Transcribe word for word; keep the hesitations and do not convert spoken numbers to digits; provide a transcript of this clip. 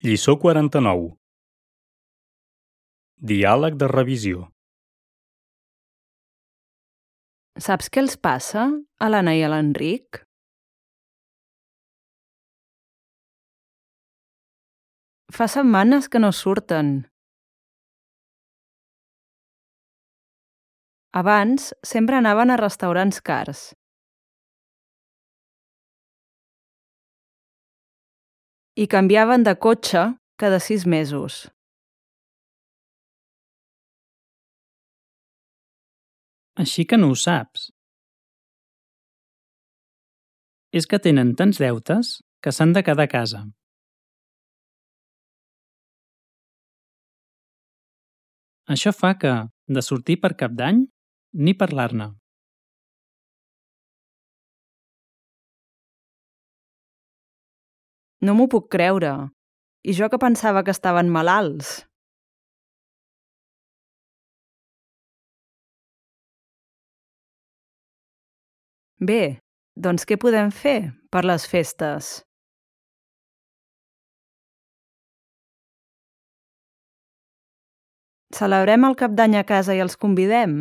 Lliçó quaranta-nou. Diàleg de revisió. Saps què els passa a l'Anna i a l'Enric? Fa setmanes que no surten. Abans sempre anaven a restaurants cars. I canviaven de cotxe cada sis mesos. Així que no ho saps. És que tenen tants deutes que s'han de quedar a casa. Això fa que, de sortir per Cap d'Any, ni parlar-ne. No m'ho puc creure. I jo que pensava que estaven malalts. Bé, doncs què podem fer per les festes? Celebrem el Cap d'Any a casa i els convidem?